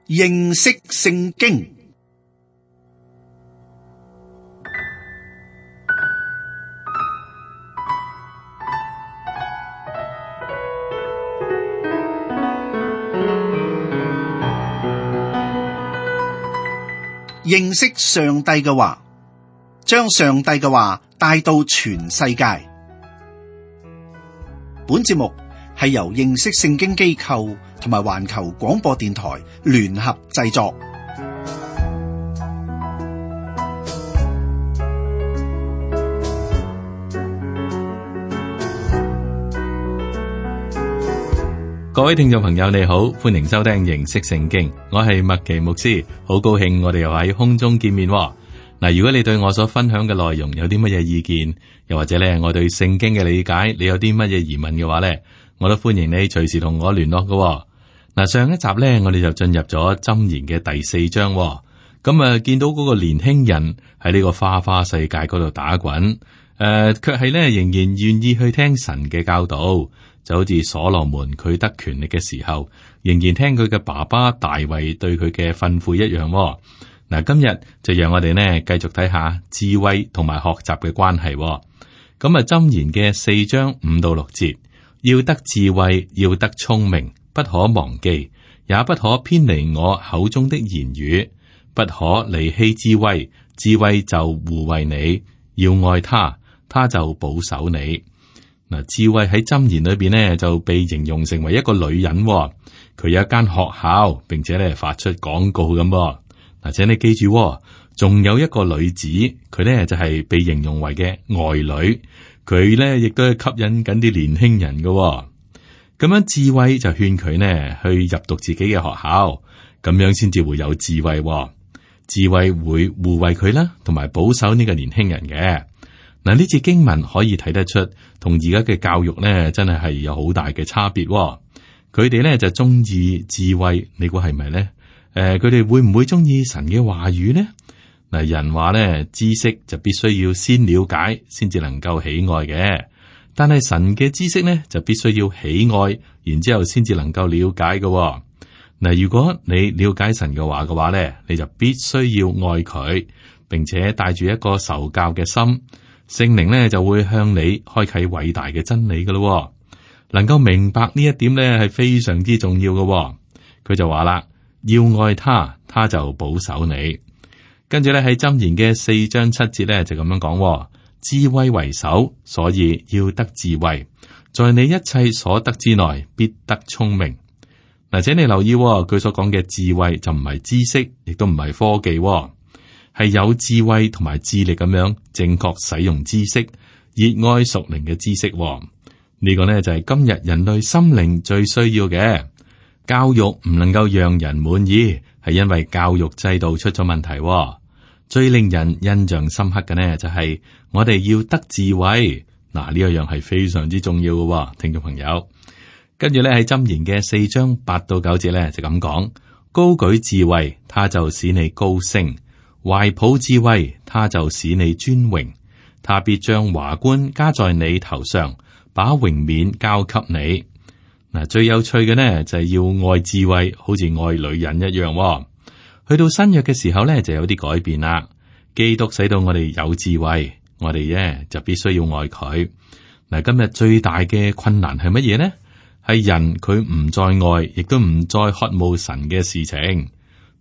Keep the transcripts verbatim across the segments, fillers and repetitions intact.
認識聖經。認識上帝嘅話，將上帝嘅話帶到全世界。本節目係由認識聖經機構同埋環球廣播電台聯合製作。各位聽眾朋友，你好，歡迎收聽認識聖經，我係麥奇牧師，好高興我哋又喺空中見面。嗱，如果你對我所分享嘅內容有啲乜嘢意見，又或者咧我對聖經嘅理解，你有啲乜嘢疑問嘅話咧，我都歡迎你隨時同我聯絡嘅。嗱，上一集咧我哋就進入咗箴言嘅第四章，咁啊見到嗰個年輕人喺呢個花花世界嗰度打滾，誒、呃，卻係咧仍然願意去聽神嘅教導。就好似所羅門佢得權力嘅時候，仍然聽佢嘅爸爸大衛對佢嘅吩咐一樣。嗱，今日就讓我哋呢繼續睇下智慧同埋學習嘅關係。咁啊，箴言嘅四章五到六節，要得智慧，要得聰明，不可忘記，也不可偏離我口中的言語，不可離棄智慧，智慧就護衛你，要愛他，他就保守你。嗱，智慧喺箴言裏邊呢就被形容成為一個女人，佢有一間學校，並且咧發出廣告咁。嗱，請你記住，仲有一個女子，佢呢就係被形容為嘅愛女，佢呢亦都係吸引緊啲年輕人嘅。咁樣智慧就勸佢呢去入讀自己嘅學校，咁樣先至會有智慧。智慧會護衛佢啦，同埋保守呢個年輕人嘅。嗱，呢節經文可以睇得出，同而家嘅教育咧，真係係有好大嘅差別。佢哋咧就中意智慧，你估係咪咧？誒、呃，佢哋會唔會中意神嘅話語呢？嗱，人話咧，知識就必須要先了解，先至能夠喜愛嘅。但係神嘅知識咧，就必須要喜愛，然之後先至能夠了解嘅。嗱，如果你了解神嘅話嘅話咧，你就必須要愛佢，並且帶住一個受教嘅心。聖靈咧就會向你開啟偉大嘅真理噶咯，能夠明白呢一點咧係非常之重要嘅。佢就話啦，要愛他，他就保守你。跟住咧喺箴言嘅四章七節咧就咁樣講，智慧為首，所以要得智慧，在你一切所得之內必得聰明。嗱，請你留意，佢所講嘅智慧就唔係知識，亦都唔係科技。係有智慧同埋智力咁樣正確使用知識，熱愛屬靈嘅知識。呢個呢就係今日人類心靈最需要嘅。教育唔能夠讓人滿意，係因為教育制度出咗問題。最令人印象深刻嘅呢，就係我哋要得智慧。嗱，呢一樣係非常之重要嘅，聽眾朋友。跟住呢喺箴言嘅四章八到九節呢，就咁講：高舉智慧，他就使你高升。懷抱智慧，他就使你尊榮，他必將華冠加在你頭上，把榮冕交給你。嗱，最有趣嘅呢就係要愛智慧，好似愛女人一樣。去到新約嘅時候呢，就有啲改變啦。基督使到我哋有智慧，我哋呢就必須要愛佢。嗱，今日最大嘅困難係乜嘢呢？係人佢唔再愛，亦都唔再渴慕神嘅事情。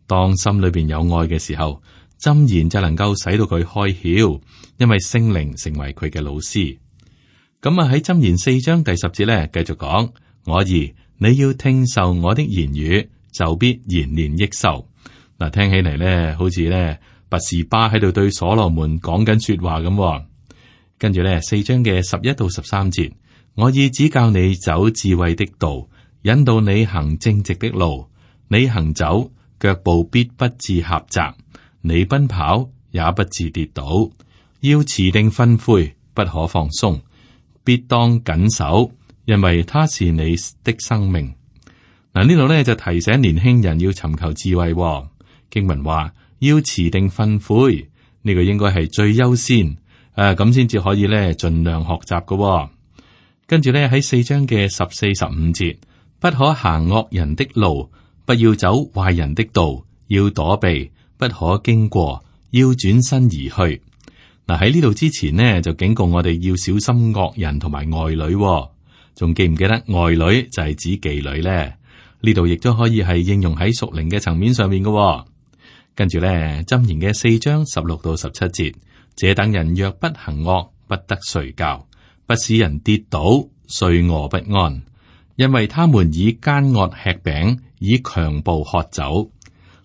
當心裏邊有愛嘅時候，箴言就能夠使到佢開竅，因為聖靈成為佢嘅老師。咁啊喺箴言四章第十節咧，繼續講：我兒，你要聽受我的言語，就必延年益壽。嗱，聽起嚟咧，好似咧拔示巴喺度對所羅門講緊說話咁。跟住咧，四章嘅十一到十三節，我已指教你走智慧的道，引導你行正直的路。你行走，腳步必不致狹窄。你奔跑也不致跌倒，要持定訓誨，不可放鬆，必當謹守，因為他是你的生命。嗱，呢度咧就提醒年輕人要尋求智慧。經文話要持定訓誨，呢個應該係最優先，誒咁先至可以咧盡量學習嘅。跟住咧喺四章嘅十四十五節，不可行惡人的路，不要走壞人的道，要躲避，不可經過，要轉身而去。嗱，喺呢度之前呢，就警告我哋要小心惡人同埋外女，仲記唔記得外女就係指妓女呢？呢度亦都可以係應用喺屬靈嘅層面上面嘅。跟住咧，箴言嘅四章十六到十七節，這等人若不行惡，不得睡覺，不使人跌倒，睡臥不安，因為他們以奸惡吃餅，以強暴喝酒。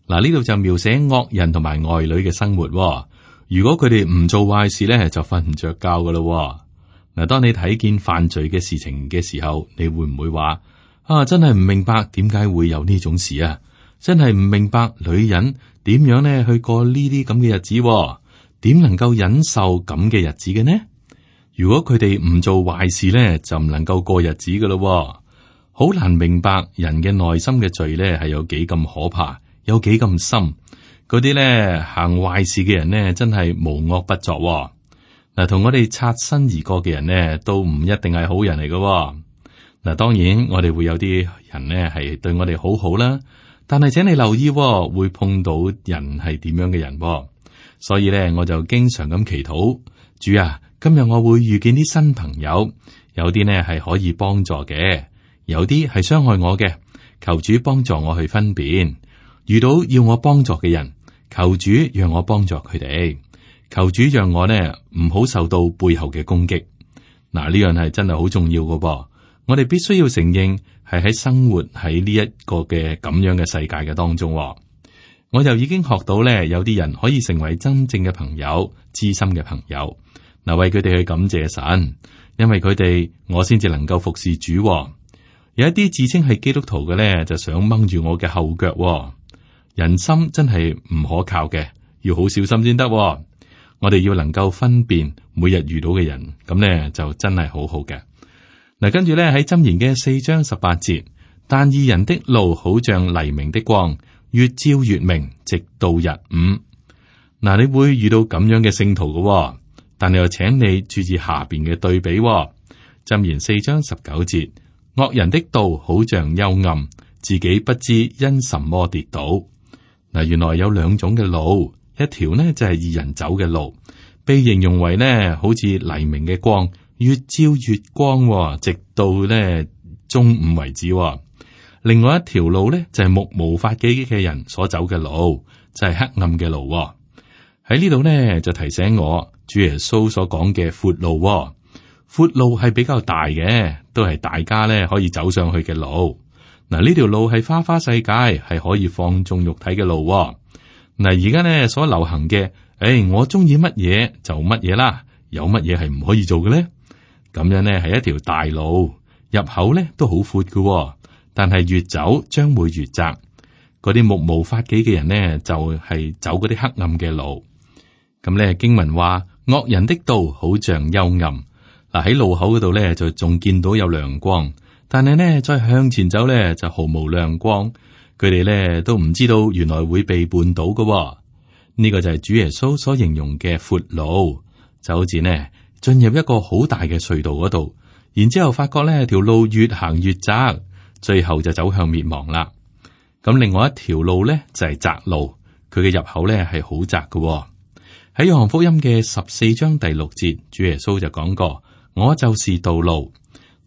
嗱，呢度就描寫惡人同埋外女嘅生活。如果佢哋唔做壞事咧，就瞓唔着覺噶咯。嗱，當你睇見犯罪嘅事情嘅時候，你會唔會話啊？真係唔明白點解會有呢種事啊！真係唔明白女人點樣咧去過呢啲咁嘅日子，點能夠忍受咁嘅日子嘅呢？如果佢哋唔做壞事咧，就唔能夠過日子噶咯。好難明白人嘅內心嘅罪咧係有幾咁可怕，有幾咁深。嗰啲咧行壞事嘅人呢，真係無惡不作。嗱，同我哋擦身而過嘅人呢，都唔一定係好人嚟嘅。嗱，當然我哋會有啲人呢係對我哋好好啦，但係請你留意，會碰到人係點樣嘅人。所以咧，我就經常咁祈禱，主啊，今日我會遇見啲新朋友，有啲呢係可以幫助嘅，有啲係傷害我嘅，求主幫助我去分辨。遇到要我幫助嘅人，求主讓我幫助佢哋，求主讓我呢唔好受到背後嘅攻擊。嗱，呢樣係真係好重要嘅噃。我哋必須要承認係喺生活喺呢一個嘅咁樣嘅世界嘅當中。我就已經學到咧，有啲人可以成為真正嘅朋友、知心嘅朋友。嗱，為佢哋去感謝神，因為佢哋我先至能夠服侍主。有一啲自稱係基督徒嘅咧，就想掹住我嘅後腳。人心真係唔可靠嘅，要好小心先得。我哋要能夠分辨每日遇到嘅人，咁咧就真係好好嘅。嗱，跟住咧喺箴言嘅四章十八節，但義人的路好像黎明的光，越照越明，直到日午。嗱，你會遇到咁樣嘅聖徒嘅，但係又請你注意下邊嘅對比。箴言四章十九節，惡人的道好像幽暗，自己不知因什麼跌倒。嗱，原來有兩種嘅路，一條呢就係義人走嘅路，被形容為呢好似黎明嘅光，越照越光，直到呢中午為止。另外一條路呢就係目無法紀嘅人所走嘅路，就係黑暗嘅路。喺呢度呢就提醒我，主耶穌所講嘅闊路，闊路係比較大嘅，都係大家呢可以走上去嘅路。嗱，呢條路係花花世界，係可以放縱肉體嘅路。嗱，而家呢所流行嘅，誒、哎，我中意乜嘢就乜嘢啦，有乜嘢係唔可以做嘅咧？咁樣呢係一條大路，入口呢都好闊嘅，但係越走將會越窄。嗰啲目無法紀嘅人呢，就係、是、走嗰啲黑暗嘅路。咁咧經文話，惡人的道好像幽暗。嗱，喺路口嗰度咧就仲見到有亮光。但係呢，再向前走呢，就毫無亮光。佢哋呢都唔知道原來會被絆倒嘅。呢個就係主耶穌所形容嘅闊路，就好似呢進入一個好大嘅隧道嗰度，然之後發覺呢條路越行越窄，最後就走向滅亡啦。咁另外一條路呢，就係窄路，佢嘅入口呢係好窄嘅。喺約翰福音嘅十四章第六節，主耶穌就講過：我就是道路。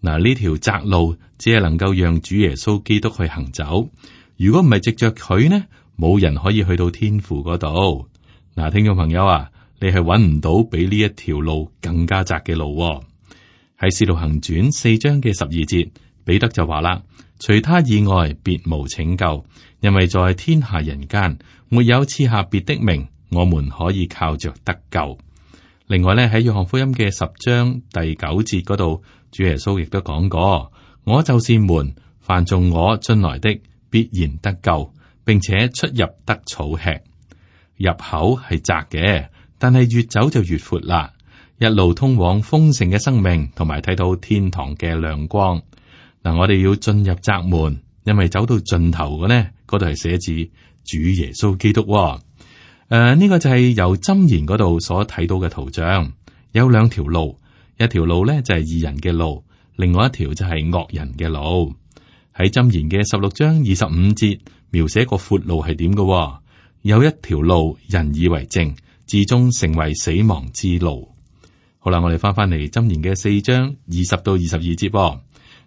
嗱，呢條窄路只係能夠讓主耶穌基督去行走。如果唔係藉着佢呢，冇人可以去到天父嗰度。嗱，聽眾朋友啊，你係揾唔到比呢一條路更加窄嘅路喎。喺使徒行傳四章嘅十二節，彼得就話啦：除他以外，別無拯救，因為在天下人間沒有賜下別的名，我們可以靠着得救。另外咧，喺約翰福音嘅十章第九節嗰度，主耶穌亦都講過：我就是門，凡從我進來的必然得救，並且出入得草吃。入口係窄嘅，但係越走就越闊啦，一路通往豐盛嘅生命，同埋睇到天堂嘅亮光。嗱，我哋要進入窄門，因為走到盡頭嘅呢，嗰度係寫字主耶穌基督。誒，呢、呃這個就係由箴言嗰度所睇到嘅圖像，有兩條路，一條路咧就係義人嘅路，另外一條就係惡人嘅路。喺箴言嘅十六章二十五節，描寫個闊路係點嘅，有一條路人以為正，至終成為死亡之路。好啦，我哋翻翻嚟箴言嘅四章二十到二十二節噃。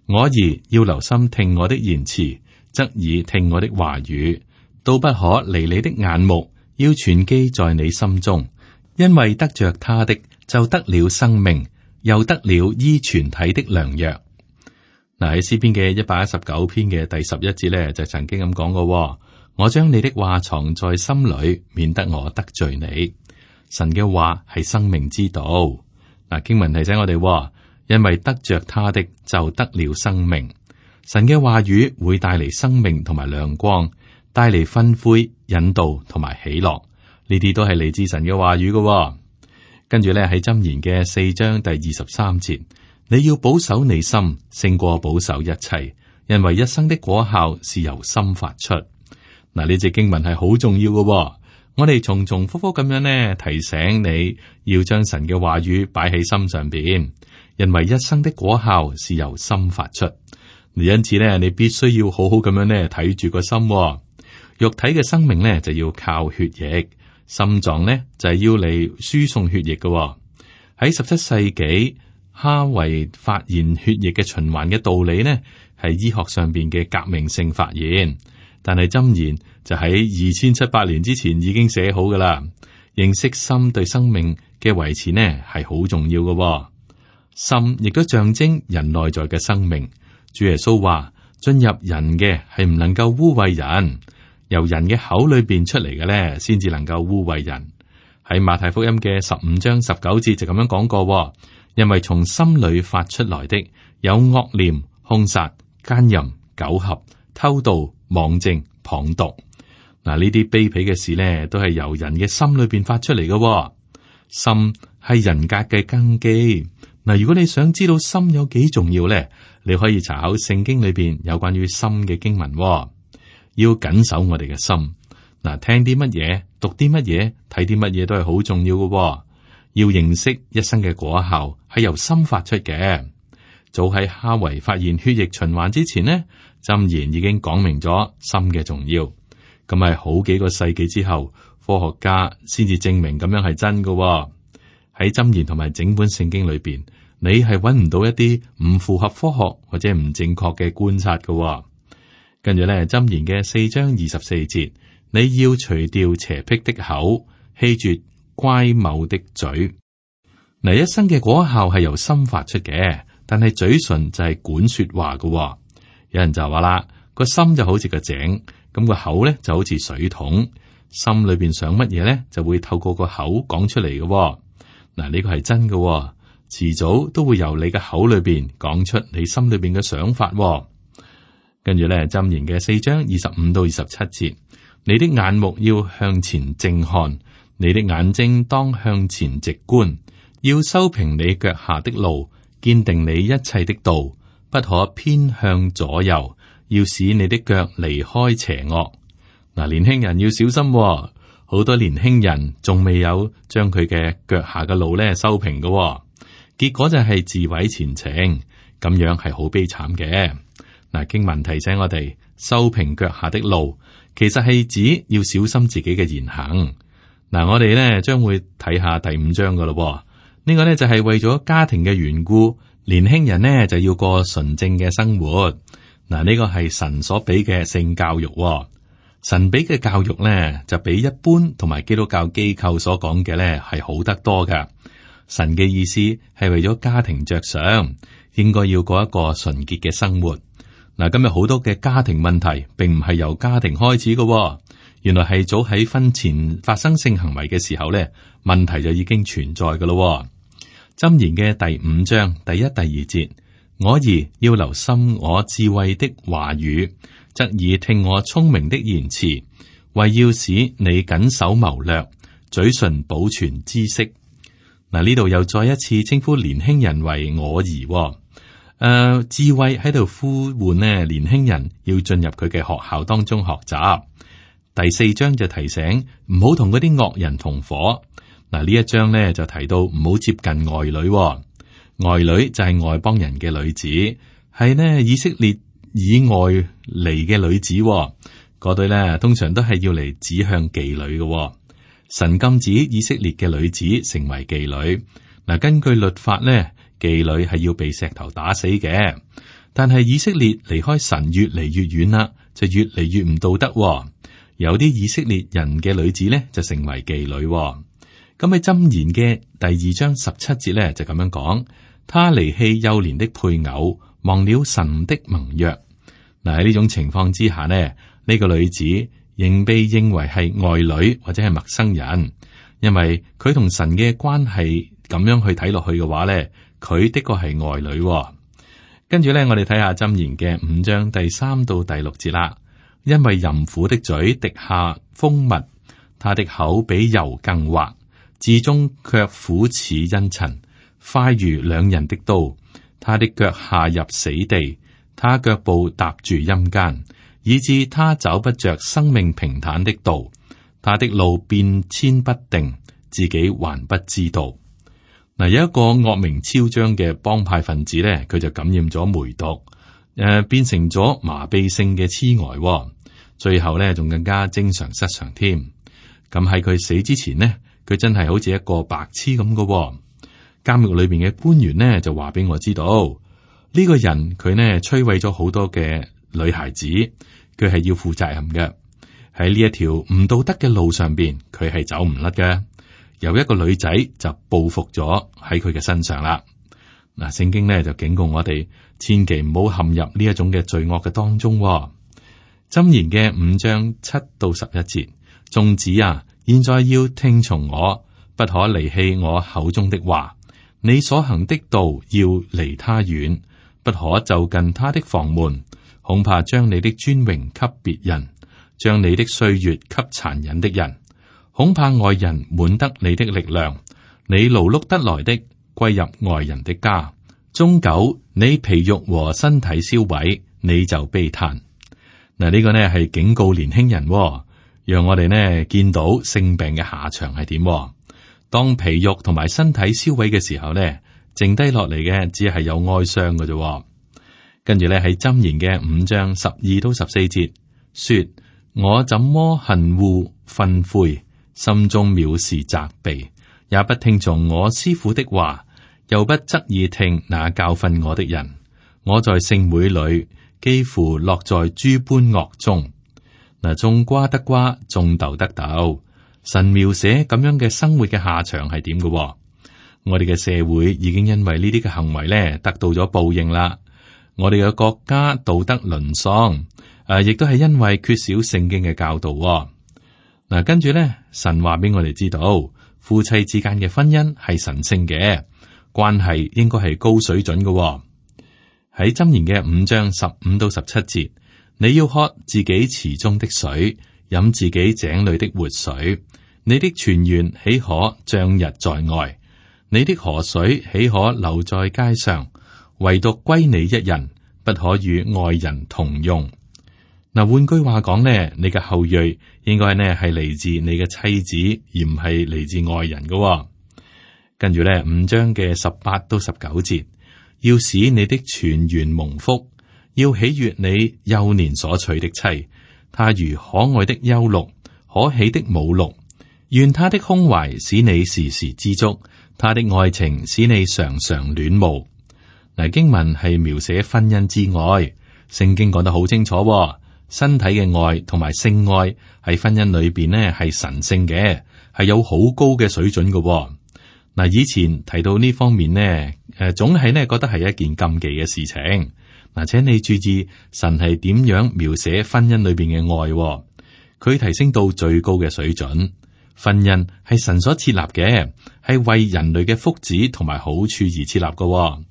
我兒要留心聽我的言辭，側耳聽我的話語，都不可離你的眼目，要存記在你心中，因為得着他的就得了生命，又得了醫全體的良藥。嗱，喺詩篇嘅一百一十九篇嘅第十一節咧，就曾經咁講過：我將你的話藏在心裏，免得我得罪你。神嘅話係生命之道。嗱，經文提醒我哋，因為得着他的就得了生命。神嘅話語會帶嚟生命同埋亮光，帶嚟吩咐、引導同埋喜樂。呢啲都係嚟自神嘅話語嘅。跟住咧喺箴言嘅四章第二十三節，你要保守你心，勝過保守一切，因為一生的果效是由心發出。嗱，呢隻經文係好重要嘅。我哋重重複複咁樣呢提醒你要將神嘅話語擺喺心上邊，因為一生的果效是由心發出。因此呢，你必須要好好咁樣呢睇住個心。肉體嘅生命呢就要靠血液，心臟呢就係要嚟輸送血液嘅。喺十七世紀，哈維發現血液嘅循環嘅道理呢係醫學上邊嘅革命性發現。但係箴言就喺二千七百年之前已經寫好噶啦。認識心對生命嘅維持呢係好重要嘅。心亦都象徵人內在嘅生命。主耶穌話：進入人嘅係唔能夠污穢人，由人嘅口裏邊出嚟嘅咧，先至能夠污穢人。喺馬太福音嘅十五章十九節就咁樣講過，因為從心裏發出來的有惡念、兇殺、奸淫、苟合、偷盜、妄證、謗讟。嗱，呢啲卑鄙嘅事呢，都係由人嘅心裏邊發出嚟嘅。心係人格嘅根基。嗱，如果你想知道心有幾重要咧，你可以查考聖經裏邊有關於心嘅經文。要謹守我哋嘅心。嗱，聽啲乜嘢，讀啲乜嘢，睇啲乜嘢都係好重要嘅。要認識一生嘅果效係由心發出嘅。早喺哈維發現血液循環之前呢，箴言已經講明咗心嘅重要。咁係好幾個世紀之後，科學家先至證明咁樣係真嘅。喺箴言同埋整本聖經裏邊，你係揾唔到一啲唔符合科學或者唔正確嘅觀察嘅。跟住咧，箴言嘅四章二十四節，你要除掉邪僻的口，棄絕乖謬的嘴。嗱，一生嘅果效係由心發出嘅，但係嘴唇就係管說話嘅。有人就話啦，個心就好似個井，咁個口咧就好似水桶。心裏邊想乜嘢咧，就會透過個口講出嚟嘅。嗱，呢個係真嘅，遲早都會由你嘅口裏邊講出你心裏邊嘅想法。跟住咧，箴言嘅四章二十五到二十七節，你的眼目要向前正看，你的眼睛當向前直觀，要修平你腳下的路，堅定你一切的道，不可偏向左右，要使你的腳離開邪惡。嗱，年輕人要小心，好多年輕人仲未有將佢嘅腳下嘅路咧修平嘅，結果就係自毀前程，咁樣係好悲慘嘅。嗱，經文提醒我哋修平腳下的路，其實係指要小心自己嘅言行。嗱，我哋咧將會睇下第五章噶咯。呢個呢，就係為咗家庭嘅緣故，年輕人呢就要過純正嘅生活。嗱，呢個係神所俾嘅性教育。神俾嘅教育呢，就比一般同埋基督教機構所講嘅呢係好得多噶。神嘅意思係為咗家庭着想，應該要過一個純潔嘅生活。嗱，今日好多嘅家庭問題，並唔係由家庭開始嘅，原來係早喺婚前發生性行為嘅時候咧，問題就已經存在嘅咯。箴言嘅第五章第一、第二節，我兒要留心我智慧的話語，側耳聽我聰明的言辭，為要使你謹守謀略，嘴唇保存知識。嗱，呢度又再一次稱呼年輕人為我兒。誒、呃，智慧喺度呼喚呢，年輕人要進入佢嘅學校當中學習。第四章就提醒唔好同嗰啲惡人同伙。嗱，呢一章呢就提到唔好接近外女，外女就係外邦人嘅女子，係呢以色列以外嚟嘅女子，嗰嗰對咧通常都係要嚟指向妓女嘅、哦。神禁止以色列嘅女子成為妓女。嗱，根據律法咧，妓女係要被石頭打死嘅。但係以色列離開神越嚟越遠啦，就越嚟越唔道德、哦。有啲以色列人嘅女子咧就成為妓女、哦。咁喺箴言嘅第二章十七節咧就咁樣講：他離棄幼年的配偶，忘了神的盟約。嗱，喺呢種情況之下呢，呢、呢個女子仍被認為係外女或者係陌生人，因為佢同神嘅關係咁樣去睇落去嘅話咧，佢的確係外女、哦。跟住咧，我哋睇下箴言嘅五章第三到第六節啦。因為淫婦的嘴滴下蜂蜜，他的口比油更滑，至終卻苦似茵蔯，快如兩刃的刀。他的腳下入死地，他腳步踏住陰間，以致他找不着生命平坦的道。他的路變遷不定，自己還不知道。嗱，有一個惡名昭彰嘅幫派分子咧，佢就感染咗梅毒，誒、呃，變成咗麻痹性嘅痴呆、哦，最後咧仲更加精神失常添。咁喺佢死之前呢，佢真係好似一個白痴咁嘅、哦。監獄裏邊嘅官員呢，就話俾我知道，呢、這個人佢呢摧毀咗好多嘅女孩子，佢係要負責任嘅。喺呢一條唔道德嘅路上邊，佢係走唔甩嘅。有一個女仔就報復咗喺佢嘅身上啦。嗱，聖經呢就警告我哋，千祈唔好陷入呢一種嘅罪惡嘅當中、哦。箴言嘅五章七到十一節，眾子啊，現在要聽從我，不可離棄我口中的話。你所行的道要離他遠，不可就近他的房門，恐怕將你的尊榮給別人，將你的歲月給殘忍的人。恐怕外人滿得你的力量，你勞碌得來的歸入外人的家，終久你皮肉和身體燒毀，你就悲嘆。嗱，呢個呢係警告年輕人、哦，讓我哋呢見到性病嘅下場係點。當皮肉同埋身體燒毀嘅時候呢，剩低落嚟嘅只係有哀傷嘅啫。跟住呢喺箴言嘅五章十二到十四節，說：我怎麼恨惡訓誨，心中藐視責備，也不聽從我師傅的話，又不側耳聽那教訓我的人。我在聖會裏幾乎落在諸般惡中。嗱，種瓜得瓜，種豆得豆。神描寫咁樣嘅生活嘅下場係點嘅？我哋嘅社會已經因為呢啲嘅行為咧得到咗報應啦。我哋嘅國家道德淪喪，誒、啊，亦都係因為缺少聖經嘅教導、哦。嗱，跟住咧，神話俾我哋知道，夫妻之間嘅婚姻係神聖嘅關係，應該係高水準嘅、哦。喺箴言嘅五章十五到十七節，你要喝自己池中的水，飲自己井裏的活水。你的泉源豈可漲溢在外？你的河水豈可流在街上？唯獨歸你一人，不可與外人同用。嗱，換句話講呢，你嘅後裔應該呢係嚟自你嘅妻子，而唔係嚟自外人嘅、哦。跟住咧，五章嘅十八到十九節，要使你的泉源蒙福，要喜悅你幼年所娶的妻，她如可愛的幼鹿，可喜的母鹿。願他的胸懷使你時時知足，他的愛情使你常常戀慕。嗱，經文係描寫婚姻之愛，聖經講得好清楚、哦。身體嘅愛同埋性愛喺婚姻裏邊呢係神聖嘅，係有好高嘅水準嘅、哦。嗱，以前提到呢方面呢，誒，總係呢覺得係一件禁忌嘅事情。嗱，請你注意神係點樣描寫婚姻裏邊嘅愛、哦，佢提升到最高嘅水準。婚姻係神所設立嘅，係為人類嘅福祉同埋好處而設立嘅、哦。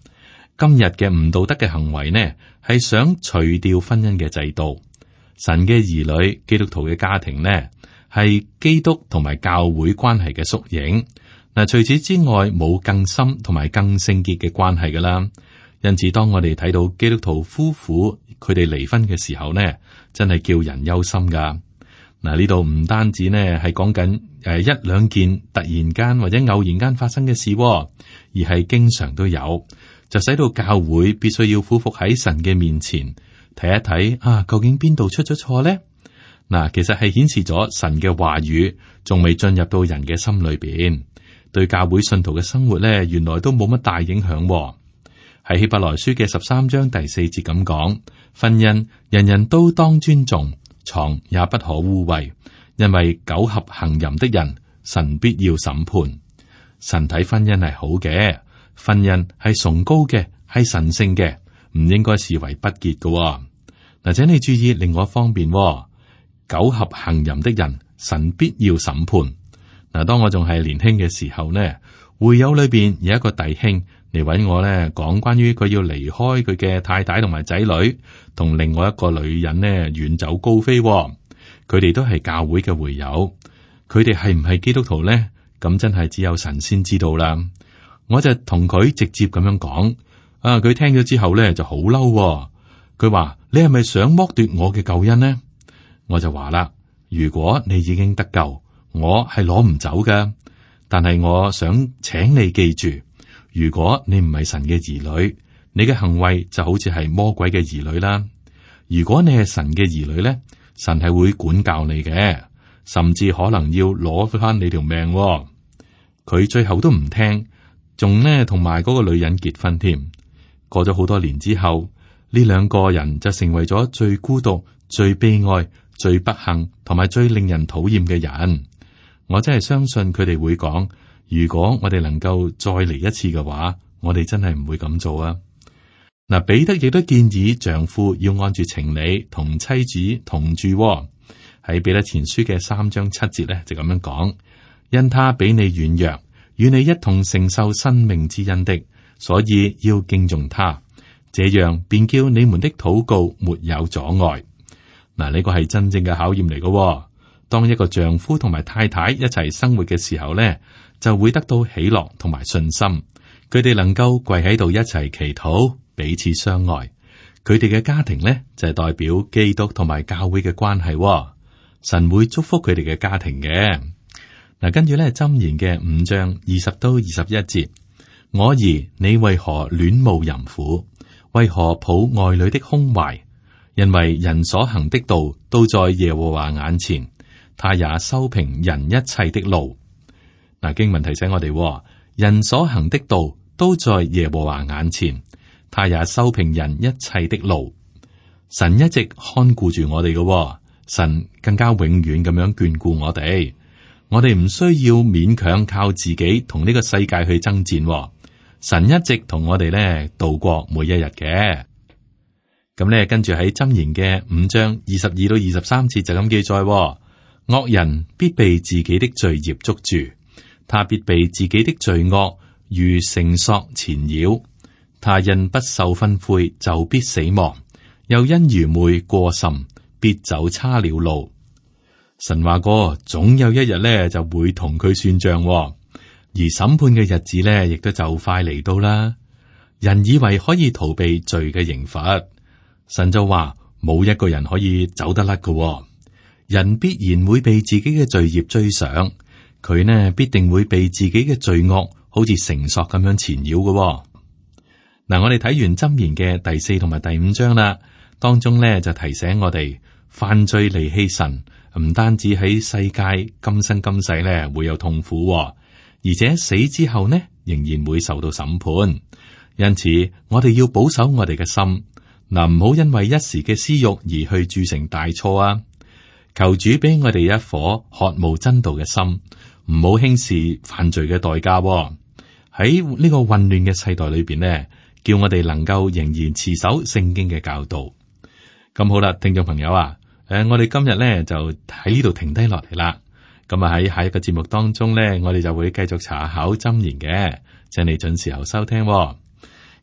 今日嘅唔道德嘅行為呢，係想除掉婚姻嘅制度。神嘅兒女，基督徒嘅家庭呢，係基督同埋教會關係嘅縮影。嗱，除此之外，冇更深同埋更聖潔嘅關係噶啦。因此，當我哋睇到基督徒夫婦佢哋離婚嘅時候呢，真係叫人憂心噶。嗱，呢度唔單止呢係講緊誒一兩件突然間或者偶然間發生嘅事，而係經常都有，就使到教會必須要俯伏喺神嘅面前睇一睇啊，究竟邊度出咗錯呢？嗱，其實係顯示咗神嘅話語仲未進入到人嘅心裏邊，對教會信徒嘅生活咧，原來都冇乜大影響喎。喺希伯來書嘅十三章第四節咁講，婚姻人人都當尊重，床也不可污穢，因為苟合行淫的人，神必要審判。神睇婚姻係好嘅，婚姻係崇高嘅，係神聖嘅，唔應該視為不潔嘅喎。嗱，請你注意另外一方面喎，苟合行淫的人，神必要審判。嗱，當我仲係年輕嘅時候呢，會友裏邊有一個弟兄嚟搵我咧，講關於佢要離開佢嘅太太同埋仔女，同另外一個女人呢遠走高飛喎。佢哋都係教會嘅會友，佢哋係唔係基督徒呢？咁真係只有神先知道啦。我就同佢直接咁樣講，啊，佢聽咗之後咧就好嬲喎。佢話：你係咪想剝奪我嘅救恩呢？我就話啦，如果你已經得救，我係攞唔走㗎。但係我想請你記住，如果你唔係神嘅兒女，你嘅行為就好似係魔鬼嘅兒女啦。如果你係神嘅兒女咧，神係會管教你嘅，甚至可能要攞翻你條命喎。佢最後都唔聽，仲呢同埋嗰個女人結婚添。過咗好多年之後，呢兩個人就成為咗最孤獨、最悲哀、最不幸同埋最令人討厭嘅人。我真係相信佢哋會講，如果我哋能夠再嚟一次嘅話，我哋真係唔會咁做啊。嗱，彼得亦都建議丈夫要按住情理同妻子同住喎。喺彼得前書嘅三章七節咧就咁樣講，因他比你軟弱，與你一同承受生命之恩的，所以要敬重他，這樣便叫你們的禱告沒有阻礙。嗱，呢個係真正嘅考驗嚟嘅。當一個丈夫同埋太太一齊生活嘅時候咧，就會得到喜樂同埋信心。佢哋能夠跪喺度一齊祈禱，彼此相愛。佢哋嘅家庭咧就係代表基督同埋教會嘅關係。神會祝福佢哋嘅家庭嘅。嗱，跟住咧箴言嘅五章二十到二十一節，我兒你為何戀慕淫婦？為何抱外女的胸懷？因為人所行的道都在耶和華眼前。他也修平人一切的路。嗱，經文提醒我哋，人所行的道都在耶和華眼前，他也修平人一切的路。神一直看顧住我哋嘅，神更加永遠咁樣眷顧我哋。我哋唔需要勉強靠自己同呢個世界去爭戰。神一直同我哋咧度過每一日嘅。咁咧，跟住喺箴言嘅五章二十二到二十三節就咁記載。惡人必被自己的罪孽捉住，他必被自己的罪惡如繩索纏繞。他因不受訓誨就必死亡，又因愚昧過甚，必走差了路。神話過，總有一日咧就會同佢算賬，而審判嘅日子咧亦都就快嚟到啦。人以為可以逃避罪嘅刑罰，神就話冇一個人可以走得甩嘅。人必然會被自己嘅罪孽追上，佢呢必定會被自己嘅罪惡好似繩索咁樣纏繞嘅。嗱，我哋睇完箴言嘅第四同埋第五章啦，當中呢就提醒我哋，犯罪離棄神，唔單止喺世界今生今世呢會有痛苦，而且死之後呢仍然會受到審判。因此，我哋要保守我哋嘅心，嗱，唔好因為一時嘅私欲而去鑄成大錯啊！求主俾我哋一顆渴慕真道嘅心，唔好輕視犯罪嘅代價喎。喺呢個混亂嘅世代裏邊呢，叫我哋能夠仍然持守聖經嘅教導。咁好啦，聽眾朋友啊，誒，我哋今日呢就喺呢度停低落嚟啦。咁啊喺下一個節目當中呢，我哋就會繼續查考箴言嘅，請你準時候收聽喎。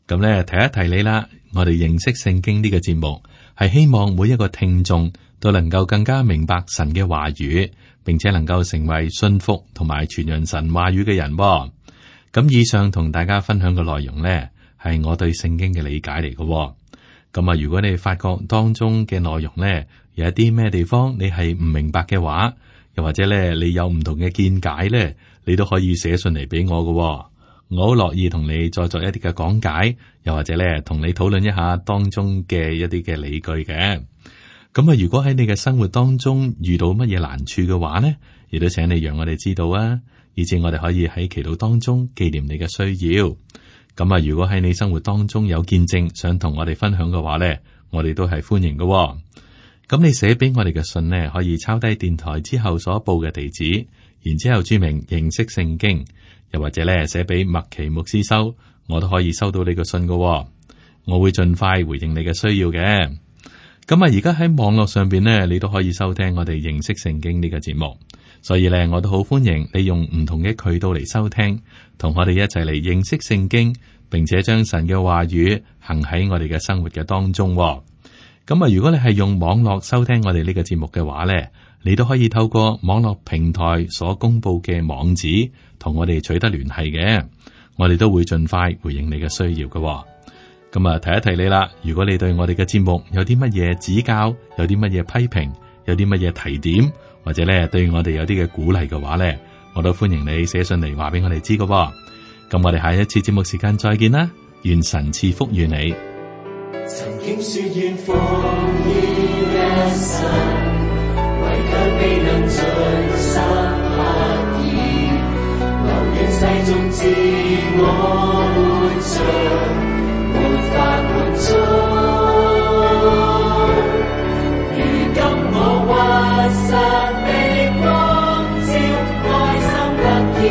咁呢，提一提你啦，我哋認識聖經呢個節目係希望每一個聽眾都能夠更加明白神嘅話語，並且能夠成為信服同埋傳揚神話語嘅人。咁以上同大家分享嘅內容呢，係我對聖經嘅理解嚟嘅。咁啊，如果你發覺當中嘅內容呢，有一啲咩地方你係唔明白嘅話，又或者咧你有唔同嘅見解呢，你都可以寫信嚟俾我嘅。我好樂意同你再作一啲嘅講解，又或者咧同你討論一下當中嘅一啲嘅理據嘅。咁啊，如果喺你嘅生活當中遇到乜嘢難處嘅話呢，亦都請你讓我哋知道啊，以至我哋可以喺祈禱當中紀念你嘅需要。咁啊，如果喺你生活當中有見證想同我哋分享嘅話呢，我哋都係歡迎嘅。咁你寫俾我哋嘅信呢，可以抄低電台之後所報嘅地址，然之後注明認識聖經，又或者咧寫俾麥奇牧師收，我都可以收到你嘅信嘅。我會盡快回應你嘅需要嘅。咁啊，而家喺網絡上邊呢，你都可以收聽我哋認識聖經呢個節目，所以咧我都好歡迎你用唔同嘅渠道嚟收聽，同我哋一齊嚟認識聖經，並且將神嘅話語行喺我哋嘅生活嘅當中。咁啊，如果你係用網絡收聽我哋呢個節目嘅話呢，你都可以透過網絡平台所公布嘅網址同我哋取得聯繫嘅，我哋都會盡快回應你嘅需要嘅。咁啊，提一提你啦，如果你對我哋嘅節目有啲乜嘢指教，有啲乜嘢批評，有啲乜嘢提點，或者咧對我哋有啲嘅鼓勵嘅話咧，我都歡迎你寫信嚟話俾我哋知嘅。咁我哋下一次節目時間再見啦，願神賜福與你。曾經說願奉獻一生，為卻未能盡心刻意，留戀世俗自我活着，沒法滿足。如今我屈膝的光照，愛心得見